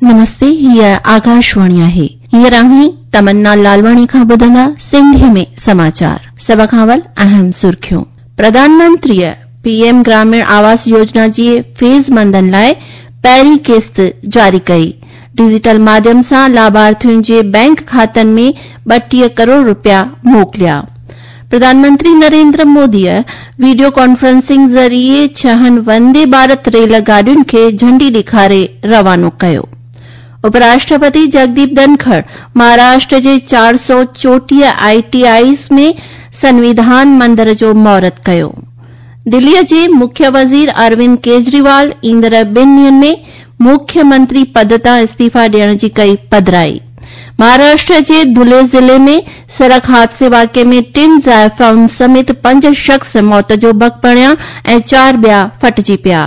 نمستي هيء آڪاشواڻي آهي. هينئر اوهين تمنا لالواڻي کان ٻڌندا سنڌيء ۾ سماچار. سڀ کان اول اهم سرخيون. پرڌان منتريء پي ايم گراميڻ آواس يوجنا جي فيض مندن لاء پهرين قسط جاري ڪئي. ڊجيٽل ماڌيم سان لاڀارٿين جي بئنڪ کاتن ۾ 32 ڪروڙ رپيا موڪليا. پرڌان منتري نريندر موديء وڊيو ڪانفرنسنگ ذريعي ڇهن وندي ڀارت ريل گاڏين کي جهنڊي ڏيکاري روانو ڪيو. اپراشٽرپتي جگديپ ڌنکڙ مهاراشٽر جي 434 آء ٽي آئيز ۾ سنويڌان مندر جو مهورت ڪيو. دليء جي مکيه وزير اروند ڪيجريوال ايندڙ ٻن ڏينهن ۾ مکيه منتري پد تان استعيفيٰ ڏيڻ جي ڪئي پڌرائي. مهاراشٽر جي ڌلي ضلعي ۾ سڙڪ حادثي واقعي ۾ ٽن زائفائن سميت پنج شخص موت جو ڀڳ بڻيا ۽ چار ٻيا ڦٽجي پيا.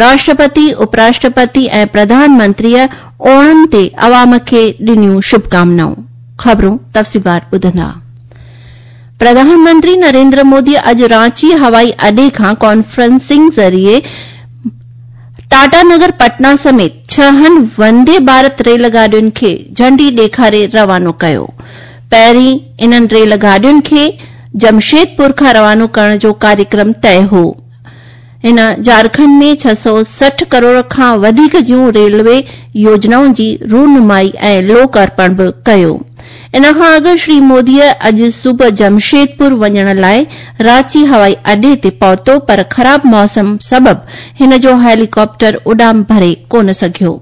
راشٽرپتي، اپراشٽرپتي ۽ پرڌان منتريء اوڻم تي عوام کي ڏنيون شڀڪامنائون. خبرون تفصيلوار ٻڌندا. پرڌان منتري نريندر مودي اڄ رانچي هوائي اڏي کان ڪانفرنسنگ ذريعي ٽاٽا نگر پٽنا سميت ڇهن وندي ڀارت ريل گاڏين کي جهنڊي ڏيکاري روانو ڪيو. پهرين انهن ريل گاڏين کي جمشيدپور کان روانو ڪرڻ جو ڪاريڪرم طئي هو. هن جهارکنڊ ۾ 660 ڪروڙ کان وڌيڪ جون ريلوي يوجنائن جي رونمائي ۽ لوڪ ارپڻ به ڪيو. ان کان اڳ شري موديء اڄ صبح جمشيدپور وڃڻ لاء رانچي هوائي اڏي تي پهتو پر خراب موسم سبب هن جو هيليڪاپٽر اڏام ڀري ڪونه سگهيو.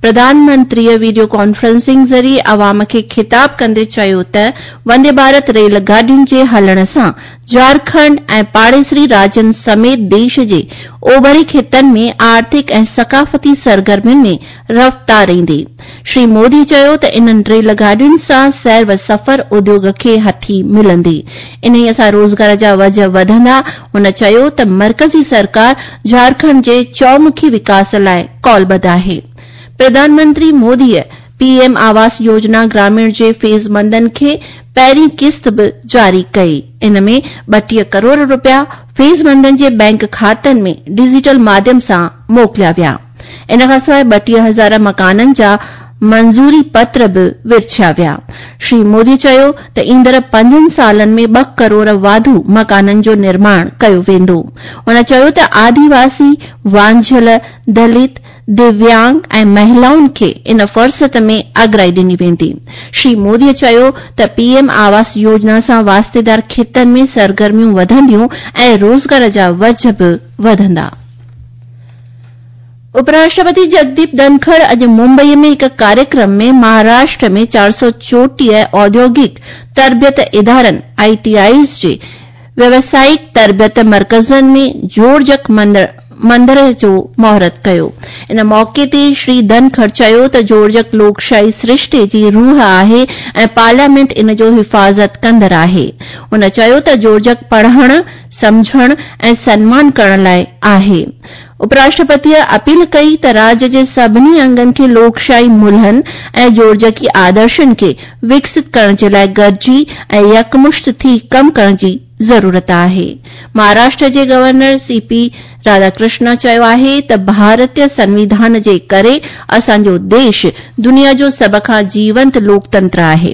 پرڌان منتريء وڊيو ڪانفرنسنگ ذريعي عوام کي خطاب ڪندي چيو ته وندي ڀارت ريل گاڏين جي هلڻ سان جهارکنڊ ۽ پاڙيسري راجين سميت ديش جي اوڀري خطن ۾ آرٿڪ ۽ ثقافتي سرگرمين ۾ رفتار ايندي. شري مودي چيو ته انهن ريل گاڏين سان سير و سفر اديوڳ کي هٿي ملندي. انهيء سان روزگار جا وجهه وڌندا. هن چيو ته مرڪزي سرڪار جهارکنڊ جي چؤمکي وڪاس لاء قولبڌ آهي. پرڌان منتري موديء پي ايم آواس يوجنا گراميڻ جي فيض مندن کي پهرين قسط به جاري ڪئي. ان ۾ 32 ڪروڙ رپيا فيض مندن جي بئنڪ کاتن ۾ ڊجيٽل ماڌيم سان موڪليا ويا. ان کان سواء 32 هزار مڪانن جا منظوري پتر به ورڇيا ويا. شري مودي چيو ته ايندڙ پنجن سالن ۾ ٻه ڪروڙ واڌو مڪانن جو نرماڻ ڪيو ويندو. هن چيو ته آديواسي، وانجهيل، دلت، دويانگ ۽ مهلائن کي ان فهرست ۾ اڳرائي ڏني ويندي. شري مودي چيو ته پي ايم آواس يوجنا سان واسطيدار خطن ۾ سرگرميون وڌنديون ۽ روزگار جا وجهه به وڌندا. اپراشٽرپتي جگديپ ڌنکڙ اڄ ممبئي ۾ هڪ ڪاريڪرم ۾ مهاراشٽر ۾ 434 اوديوگڪ تربيت ادارن، آء ٽي آئيز، جي ويوسائڪ تربيت مرڪزن ۾ جوڙجڪ مندر جو مهورت ڪيو. ان موقعي تي شري ڌنکڙ چيو ته جوڙجڪ لوڪشاهي سرشتي جي روح آهي ۽ پارليامينٽ ان جو حفاظت ڪندڙ آهي. هن چيو ته جوڙجڪ پڙهڻ، سمجهڻ ۽ سنمان ڪرڻ لاء آهي. اپراشٽرپتيء اپيل ڪئي ته راڄ جي سڀني انگن کي لوڪشاهي ملهن ۽ جوڙجڪي آدرشن کي وڪست ڪرڻ جي لاء گڏجي ۽ يڪمشت ٿي ڪم ڪرڻ جي ضرورت آهي. مهاراشٽر جي گورنر سي پي راڌاڪرشنا چيو آهي ته ڀارتي سنويڌان جي ڪري اسان جو ديش دنيا جو سڀ کان جيونت لوڪتنتر آهي.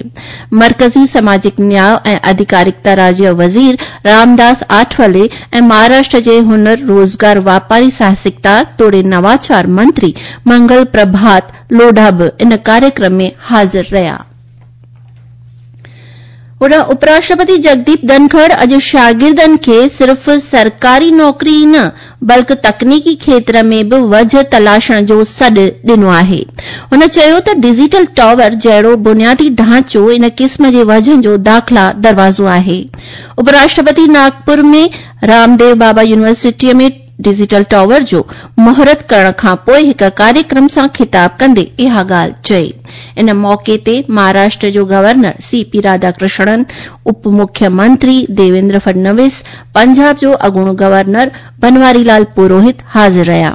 مرڪزي سماجڪ نياء ۽ اڌيڪارڪتا راجيه وزير رامداس آٺولي ۽ مهاراشٽر جي هنر، روزگار، واپاري ساهسڪتا توڙي نواچار منتري منگل پرڀات لوڍا به ان ڪاريڪرم ۾ حاضر رهيا. هوڏانهن اپراشٽرپتي جگديپ ڌنکڙ اڄ شاگردن کي صرف سرڪاري نوڪري ئي نه بلڪ تڪنيڪي کيتر ۾ به وجهه تلاشڻ جو سڏ ڏنو آهي. هن چيو ته ڊجيٽل ٽاور جهڙو بنيادي ڍانچو ان قسم جي وجهن جو داخلا دروازو آهي. اپراشٽرپتي ناگپور ۾ رامديو بابا يونيورسٽيء ۾ ڊجيٽل ٽاور جو مهورت ڪرڻ کانپوء هڪ ڪاريڪرم سان خطاب ڪندي اها ڳالهه چئي. ان موقعي تي مهاراشٽر جو گورنر سي پي راڌاڪرشڻن، اپ مکيه منتري ديويندر فڊنويس، پنجاب جو اڳوڻو گورنر بنواري لال پروهت حاضر رهيا.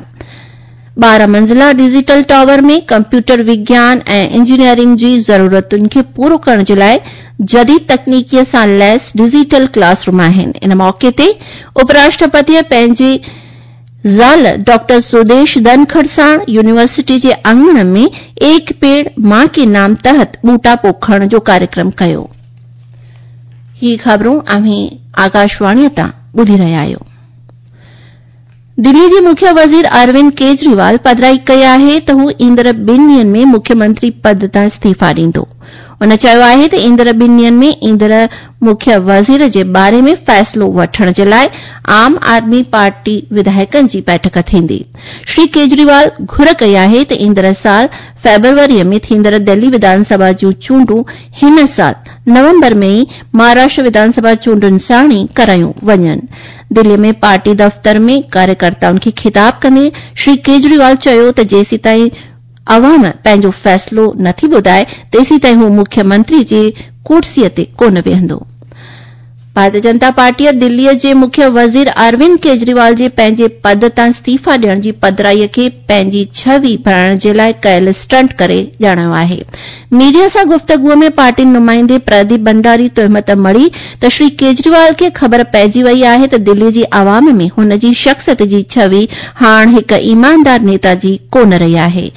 12 منزله ڊجيٽل ٽاور ۾ ڪمپيوٽر وگيان ۽ انجنيئرنگ جي ضرورتن کي پورو ڪرڻ جي لاء جديد تڪنيڪي سان ليس ڊجيٽل ڪلاس روم آهن. ان موقعي تي اپراشٽرپتيء پنهنجي ज़ाल डॉक्टर सुदेश धनखड़ साण यूनिवर्सिटी जे आङण में एक पेड़ मां के नाम तहत ॿूटा पोखण जो कार्यक्रम कयो। ही ख़बरूं अव्हीं आकाशवाणीअ तां ॿुधी रहिया आहियो। दिल्ली जे मुख्य वज़ीर अरविंद केजरीवाल पधराई कई आहे त हू ईंदड़ ॿिनि ॾींहंनि में मुख्यमंत्री पद तां इस्तीफ़ा ॾींदो। हुन चयो आहे त ईंदड़ ॿिनि ॾींहंनि में ईंदड़ मुख्य वज़ीर जे बारे में फ़ैसिलो वठण जे लाइ आम आदमी पार्टी विधायकनि जी बैठक थींदी। श्री केजरीवाल घुर कई आहे त ईंदड़ साल फेब्रुअरीअ में थींदड़ दिल्ली विधानसभा जूं चूंडूं हिन साल नवंबर में ई महाराष्ट्र विधानसभा चूंडुनि साण ई करायूं वञनि। दिल्ली में पार्टी दफ़्तर में कार्यकर्ताउनि खे ख़िताब कंदे श्री केजरीवाल चयो त जेसीं ताईं अवाम पंहिंजो फ़ैसिलो नथी ॿुधाए तेसीं ताईं हू मुख्यमंत्री जे कुर्सीअ ते कोन वेहंदो। भारतीय जनता पार्टीअ दिल्लीअ जे मुख्य वज़ीर अरविंद केजरीवाल जे पंहिंजे पद तां इस्तीफ़ा ॾियण जी पधराईअ खे पंहिंजी छवि बणाइण जे लाइ कयल स्टंट करे ॼाणायो आहे। मीडिया सां गुफ़्तगूअ में पार्टी नुमाइंदे प्रदीप भंडारी तोहमत मढ़ी त श्री केजरीवाल खे ख़बर पइजी वई आहे त दिल्ली जी आवाम में हुन जी शख़्सियत जी छवि हाण हिकु ईमानदार नेता जी कोन रही आहे।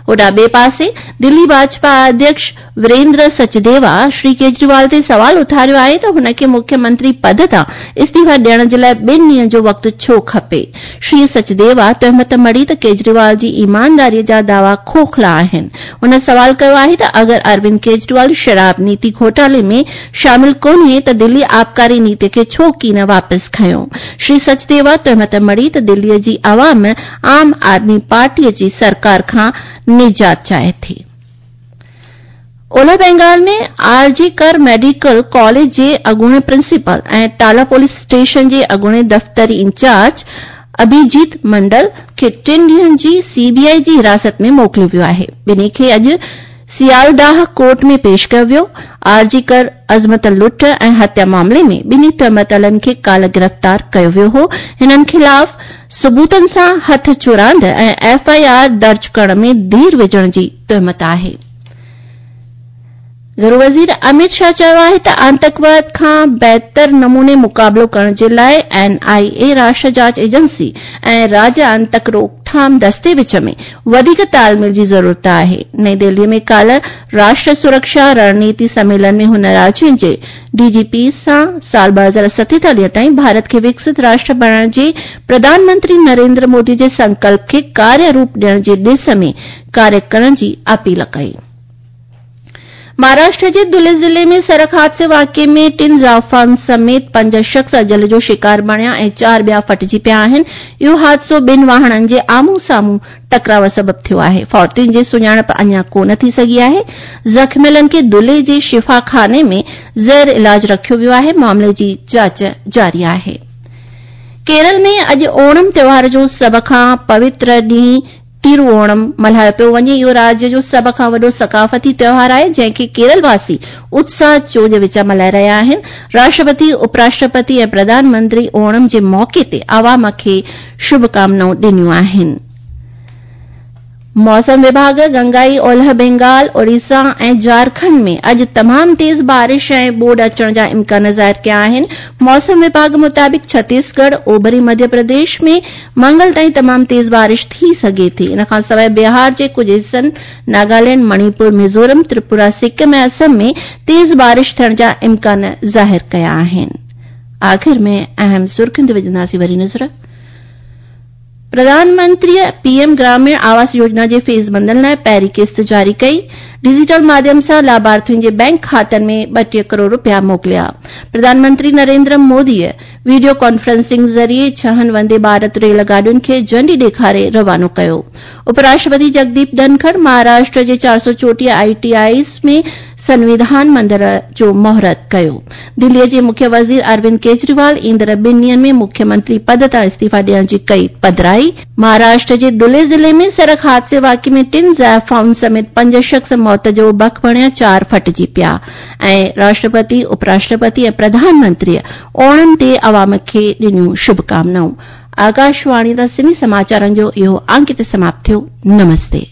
होॾां ॿिए पासे दिल्ली भाजपा अध्यक्ष वीरेंद्र सचदेवा श्री केजरीवाल ते सवाल उथारियो आहे त हुनखे मुख्यमंत्री पद तां इस्तीफ़ा ॾियण जे लाइ ॿिनि ॾींहंनि जो वक़्तु छो खपे। श्री सचदेवा तोहमत मढ़ी त केजरीवाल जी ईमानदारीअ जा दावा खोखला आहिनि। हुन सवाल कयो आहे त अगरि अरविंद केजरीवाल शराब नीति घोटाले में शामिल कोन्हे त दिल्ली आबकारी नीति खे छो कीन वापसि खयो। श्री सचदेवा तोहमत मढ़ी त दिल्लीअ जी आवाम आम आदमी पार्टीअ जी सरकार खां निजात चाहे थी। ओलह बंगाल में आरजी कर मेडिकल कॉलेज जे अॻूणे प्रिंसिपल ऐं टाला पुलिस स्टेशन जे अॻूणे दफ़्तरी इंचार्ज अभिजीत मंडल खे 3 ॾींहंनि जी सीबीआई जी हिरासत में मोकिलियो वियो आहे। ॿिन्ही खे अॼु सियालदाह कोर्ट में पेश कयो वियो। आरजी कर अज़मत लुट ऐं हत्या मामले में ॿिन्ही तोहमतलनि खे काल्ह गिरफ़्तार कयो वियो हो। हिननि ख़िलाफ़ सबूतनि सां हथ चुरांद ऐं एफआईआर दर्ज करण में देरि विझण जी तोहमत आहे। घरू वज़ीर अमित शाह चयो आहे त आतंकवाद खां बहितर नमूने मुक़ाबिलो करण जे लाइ एनआईए राष्ट्र जांच एजेंसी ऐं राज्य आतंक रोकथाम दस्ते विच में वधीक तालमेल जी ज़रूरत आहे। नई दिल्लीअ में काल्ह राष्ट्र सुरक्षा रणनीति सम्मेलन में हुन राज्यनि जे डीजीपी सां साल 2047 ताईं भारत खे विकसित राष्ट्र बणाइण जे प्रधानमंत्री नरेंद्र मोदी जे संकल्प खे कार्य रूप ॾियण जे ॾिस में कार्य करण जी अपील कई। महाराष्ट्र जे धुले ज़िले में सड़क हादसे वाक़िए में 3 ज़ाफ़ान समेत 5 शख़्स अजल जो शिकार बणिया ऐं 4 ॿिया फटिजी पिया आहिनि। इहो हादसो ॿिनि वाहणनि जे आम्हूं साम्हूं टकराव सबबु थियो आहे। फौतियुनि जी सुञाणप अञा कोन थी सघी आहे। ज़ख़्मियलनि खे धुले जे शिफ़ाखाने में ज़ेर इलाज रखियो वियो आहे। मामले जी जांच जारी आहे। केरल में अॼु ओणम त्योहार जो सभ खां पवित्र ॾींहुं तिरुओणम मल्हायो पियो वञे। इहो राज्य जो सभ खां वॾो सकाफ़ती त्योहार आहे जंहिंखे केरल वासी उत्साह चोज विचां मल्हाए रहिया आहिनि। राष्ट्रपति, उपराष्ट्रपति ऐं प्रधानमंत्री ओणम जे मौक़े ते आवाम खे शुभकामनाऊं ॾिनियूं आहिनि। मौसम विभाग गंगाई ओलह बंगाल, ओडिशा ऐं झारखंड में अॼु तमामु तेज़ बारिश ऐं ॿोॾ अचण जा इम्कान ज़ाहिर कया आहिनि। मौसम विभाग मुताबिक़ छत्तीसगढ़, ओभरी मध्य प्रदेश में मंगल ताईं तमामु तेज़ बारिश थी सघे थी। इन खां सवाइ बिहार जे कुझु हिसनि, नागालैंड, मणिपुर, मिज़ोरम, त्रिपुरा, सिक्किम ऐं असम में तेज़ बारिश थियण जा इम्कान ज़ाहिर कया आहिनि। आख़िर में अहम सुर्खियुनि ते विझंदासीं वरी नज़र। प्रधानमंत्री पीएम ग्रामीण आवास योजना जे फेज़ बंदनि लाइ पहिरीं क़िस्त जारी कई। डिजिटल माध्यम सां लाभार्थियुनि जे बैंक खातनि में 32 करोड़ रुपया मोकिलिया। प्रधानमंत्री नरेंद्र मोदीअ वीडियो कॉन्फ्रेंसिंग ज़रिए 6 वंदे भारत रेल गाॾियुनि खे झंडी ॾेखारे रवानो कयो। उपराष्ट्रपति जगदीप धनखड़ महाराष्ट्र जे 434 आईटीआईस में संविधान मंदिर जो मुहूर्त कयो। दिल्लीअ जे मुख्य वज़ीर अरविंद केजरीवाल ईंदड़ 2 ॾींहंनि में मुख्यमंत्री पद तां इस्तीफ़ा ॾियण जी कई पधराई। महाराष्ट्र जे धुले ज़िले में सड़क हादसे वाक़िए में 3 ज़ाइफ़ाउनि समेत 5 शख़्स मौत जो बक बणिया, 4 फटिजी पिया। ऐं राष्ट्रपति, उपराष्ट्रपति ऐं प्रधानमंत्रीअ ओणम ते आवाम खे ॾिनियूं शुभकामनाऊं। आकाशवाणी तां सिंधी समाचारनि जो इहो अंक हिते समाप्त थियो। नमस्ते।